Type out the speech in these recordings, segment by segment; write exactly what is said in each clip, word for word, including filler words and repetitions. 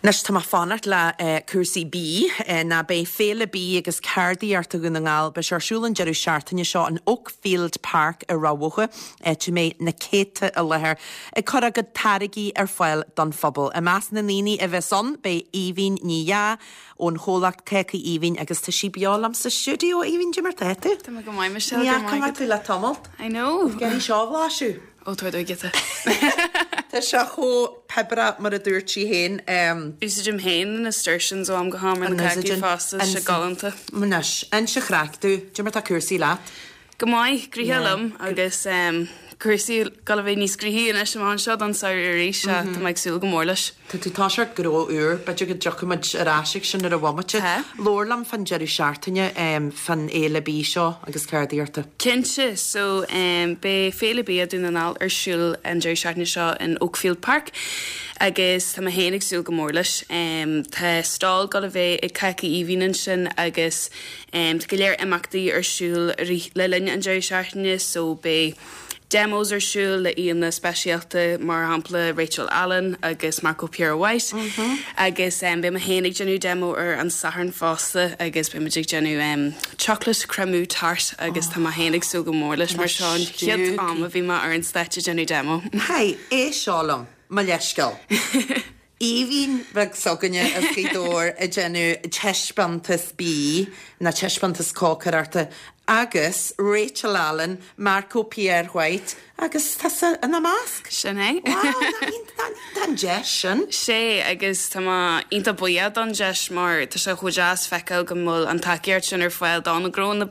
Anois tá mé fanacht le cúrsaí bídh ná beidh Féile Bídh agus Ceardaíochta Dhún na nGall beidh sé ar siúl an deireadh seachtaine seo in Oakfield Park i Ráth Bhoth, áit a mbeidh na céadta i láthair ag cur a gcuid táirgí ar fáil don phobal. I measc na ndaoine a bheas ann beidh Aoibhinn Ní Dheá ón chomhlacht Cácaí Aoibhinn agus tá sí beo liom sa stiúideo Aoibhinn cad é mar tá tú? Tá mé go maith Michelle Ní fhaca mé tú le tamalt. I know. Gary seo a bhlaiseadh. Ó tá giota. Tá sé chomh peipearach mar a dúirt sí féin. Úsáidim féin na nasturtiums ó am go ham ar na cácaí fosta sé galánta. Anois, inis an chraic domh, cad é mar tá cúrsaí leat. Go maith gnoitheach liom agus cúrsaí ag dul a bheith níos gnoithí anois amach anseo don samhradh arís tá mé ag súil go mór leis. Tá tú toiseacht gnó úr, b'fhéidir go dtiocfaidh muid ar ais ag sin ar an bhomaite. Labhair liom fan deireadh seachtaine fan fhéile bídh seo agus ceardaíochta. Cinnte, so um, beidh Féile Bia Dún na nGall ar siúl an deireadh seachtaine seo in Oakfield Park agus tá mé féin ag súil go mór leis. Um, tá stall ag dul a bheith ag Cácaí Aoibhinn ansin agus um, tá go leor imeachtaí ar siúl le linn an deireadh seachtaine, so beidh demos ar siúl le aíonna speisialta mar shampla Rachel Allen agus Marco Pierre White mm -hmm. agus um, beidh mé féin ag déanamh demo ar an Satharn fosta agus beidh ag déanamh um, chocolate créameux tart agus oh. tá mé féin ag súil go mór leis mar seo an chéad am a bhí mé ar an stáitse déanamh demo. Hei, é seo liom, mo leithscéal. Aoibhinn bheag s'againne as Gaoth Dobhair ag déanamh taispeántas bídh na taispeántas cócaireachta agus Rachel Allen, Marco Pierre White agus tá ina measc. Sin é. Tá an deis sin. Sé agus tá mé iontach buíoch don deis mar tá sé chomh deas feiceáil go bhfuil an tacaíocht sin ar fáil do na gnónna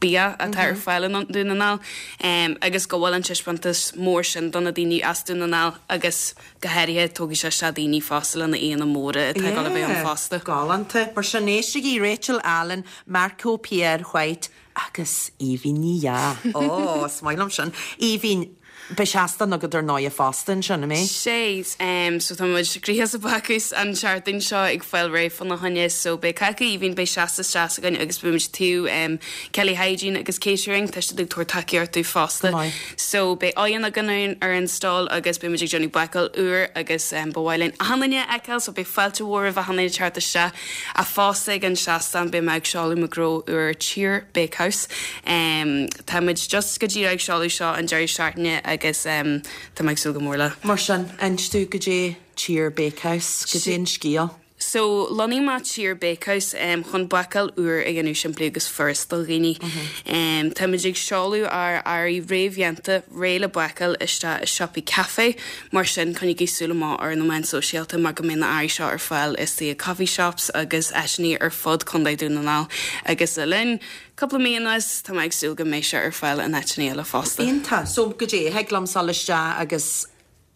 bia atá ar fáil in Dún na nGall um, agus go bhfuil an taispeántas mór sin do na daoine as Dún na nGall agus go háirithe tógfaidh sé se daoine fosta lena aíonna móra atá ag dul a bheith ann fosta. Galánta, mar sin éistigí Rachel Allen, Marco Pierre White agus Aoibhinn Ní Dheá. Ó, is maith liom sin. Aoibhinn Beidh seastán agat ar ndóigh fosta ansin an mbeidh? Sé um, so tá muid gnoitheach sa bhácús an tseachtain seo ag fáil réidh fána choinne so beidh Cácaí Aoibhinn beidh seastán deas againn agus beimid taobh um, Kelly Hygiene agus Catering tá siad ag tabhairt tacaíocht fosta. So beidh oigheann againn ar an stall agus beimid ag déanamh bácáil úr agus um, ba mhaith linn achan duine a fheiceáil so beidh fáilte mhór roimh achan duine teacht isteach a fosta ag an seastán beidh mé ag seoladh mo ghnó úr Cheer Bakehouse. Um, Tá muid just go dtí ag seoladh seo an deireadh seachtaine agus um, tá mé ag súil go mór le. Mar sin inis domh cad é Cheer Bakehouse cad é an scéal. So lonnaigh mé Cheer Bakehouse um, chun bácáil úr a dhéanamh simplí agus furast do dhaoine. Mm -hmm. um, Táimid ag seoladh ár earraí réamhdhéanta réidh le bácáil isteach i siopaí caife, mar sin coinnígí súil amach ar na meáin sóisialta mar go mbeidh na earraí seo ar fáil i coffee shops agus áiteanna ar fud Contae Dún na nGall agus le linn cúpla mí anuas tá mé ag súil go mbeidh sé ar fáil in áiteanna eile fosta. Iontach, so cad é thig liom dul isteach agus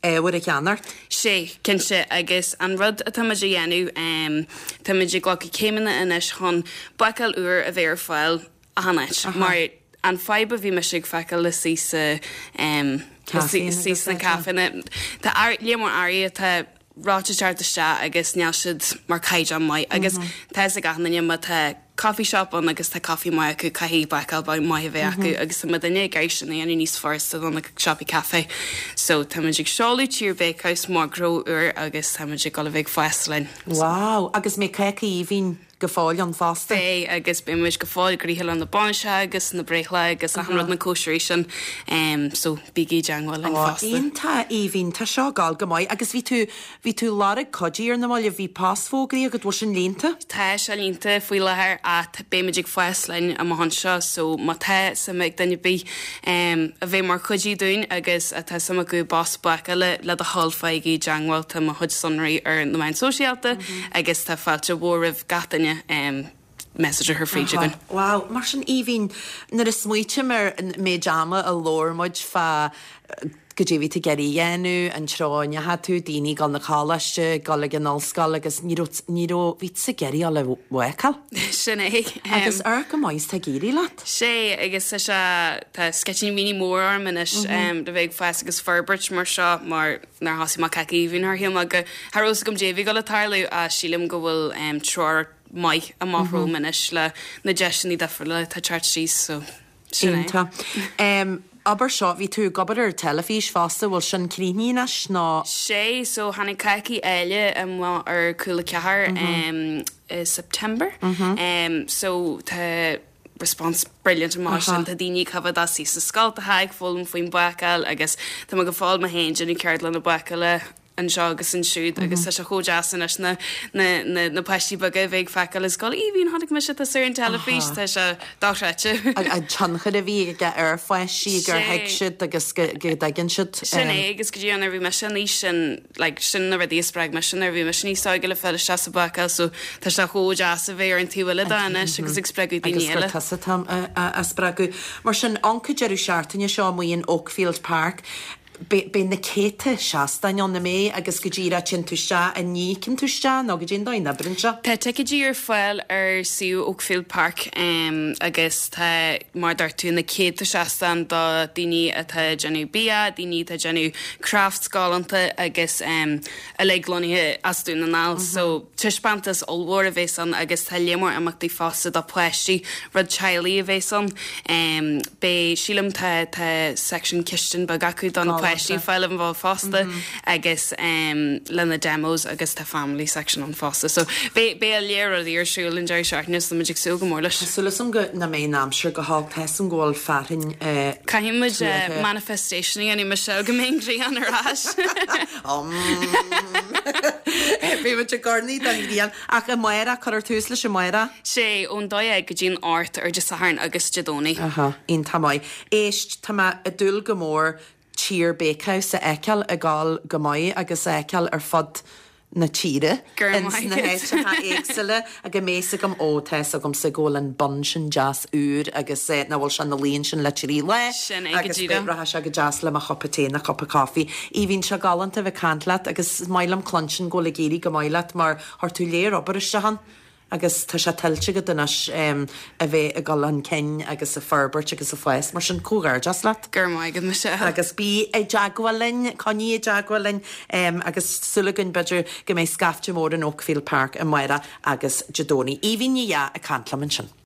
ábhar a cheannacht? Sé cinnte agus an rud atáimid a dhéanamh um, Táimid ag glacadh céimeanna anois chun bácáil úr a bheith ar fáil achan áit mar an fadhb a bhí mé ag feiceáil le sí sa um, sí sna caiféanna Tá lear mór earraí atá reoite isteach agus níl siad mar caighdeán maith agus tá ag achan duine má tá coffee shop ann agus tá coffee maith acu caithfidh bácáil maith a bheith acu agus tá duine ag iarraidh sin a dhéanamh níos furasta do na siopaí caife. So táimid ag seoladh Cheer Bakehouse mar ghnó úr agus táimid ag dul a bheith ag fás linn. Wow, agus mbeidh Cácaí Aoibhinn go fóill ann fosta. Beidh agus beimid go fóill gnoitheach le na bainiseacha agus na breithlá agus achan rud na cóisirí sin um, so bígí i dteagmháil linn fosta. Iontach Aoibhinn tá seo ag gabháil go maith agus bhí tú bhí tú lorg cuidiú ar na mallaibh bhí post fógraithe agat bhfuil sin líonta? Tá sé líonta faoi láthair ach beimid ag fás linn amach anseo so má tá suim ag duine ar bith um, a bheith mar chuidiú dúinn agus atá suim acu post bácála le do thoil faigh i dteagmháil tá mo chuid sonraí ar na meáin sóisialta mm -hmm. agus tá fáilte mhór roimh gach duine um, message a chur fríd againn. Wow, mar sin Aoibhinn nuair a smaoiním ar an méid ama a labhair muid fá cad é bhí tú ag iarraidh a dhéanamh an treo a ndeachaigh tú, daoine ag dul na coláiste, dul ag an ollscoil agus ní raibh ní raibh bhí tú ag iarraidh dul a bhácáil. Sin é. Agus ar go maith tá ag éirí leat? Sé agus tá sé tá sceitimíní mór orm anois um, le bheith ag fás agus forbairt mar seo mar nuair a thosaigh mé Cácaí Aoibhinn thar shíl mé go cha raibh go dté bhí go le tarlú a sílim go bhfuil um, treoir maith amach romham anois le na deiseanna difriúla atá teacht síos so sin é. Iontach. Um, Abair seo, bhí tú ag obair ar teilifís fosta, bhfuil sin críochnaithe anois nó? Sé, so tháinig Cácaí Áille amach ar Cúla Ceathair i September. So tá response brilliant amach sin, tá daoine ag coimhéad suí sa scoltacha ag foghlaim faoin bácáil agus tá mé go fóill mé féin déanamh ceardlanna bácála anseo agus ansiúd agus tá sé chomh deas anois na na na na páistí beaga a bheith ag feiceáil is scoil Aoibhinn chonaic mise tusa ar an teilifís tá sé dochreidte. An tionchar a bhí aige ar pháistí gur thuig siad agus go go dtuigeann siad. Sin é agus go dtí nuair a bhí mise in aois sin like sin na rudaí a spreag mise nuair a bhí mise níos óige le fáil isteach sa bhácáil so tá sé chomh deas a bheith ar an taobh eile de anois agus ag spreagadh daoine Agus gur eile. tusa atá á spreagadh. Mar sin an deireadh seachtaine seo amuigh in Oakfield Park. Beidh na céadta seastáin ann, an mbeidh agus go díreach téann tú isteach an n-íocann tú isteach nó goidé an dóigh a n-oibríonn sé. Tá ticéidí ar fáil ar suíomh Oakfield Park um, agus tá mar dúirt tú na céadta seastán do daoine atá ag déanamh bia, daoine atá ag déanamh crafts galánta agus um, uilig lonnaithe as Dún na nGall. Mm -hmm. So taispeántas ollmhór a bheas ann agus tá lear mór imeachtaí fosta do pháistí rud teaghlaigh a bheas ann. Um, Beidh sílim tá tá section cistine beag acu do na páistí fáil an bhil fosta agus um, lena demos agus tá family section ann fosta. So beidh beidh lear rudaí ar siúl an deireadh seachtaine so muid ag súil go mór leis. Súil agam go na mbeidh an aimsir go holc tá 'fhios a'm go bhfuil fearthainn Caithfidh muid uh, manifestation a dhéanamh Michelle go mbeidh an ghrian ar ais. Bhí muid ag gornaí don ghrian ach amárach cuirtear tús leis amárach. Sé ón dó dhéag go dtí'n ocht ar Dé Sathairn agus Dé Domhnaigh. Aha, iontach maith. Éist tá mé ag dúil go mór Tír Bakehouse a fheiceáil ag gabháil go maith agus a fheiceáil ar fud na tíre Gur ins na háiteacha éagsúla go mbeidh agam ó tá agamsa go bhfuil an bun sin deas úr agus eh, nach bhfuil sé na líon sin le trí le Sin é go agus díreach. rachaidh sé go deas le mo chupa tae nó cupa coffee. Aoibhinn sé galánta bheith caint leat agus is maith liom cluinstin go bhfuil ag éirí go maith leat mar chuir tú léir obair isteach ann. agus tá sé tuillte agat anois um, a bheith ag dul chun cinn agus ag forbairt agus ag fás mar sin comhghairdeas leat. Gur maith agat Michelle. Agus bí i dteagmháil linn, coinnigh i dteagmháil linn um, agus súil againn b'fhéidir go mbeidh scaifte mór in Oakfield Park amárach agus Dé Domhnaigh. Aoibhinn Ní Dheá ag caint liom ansin.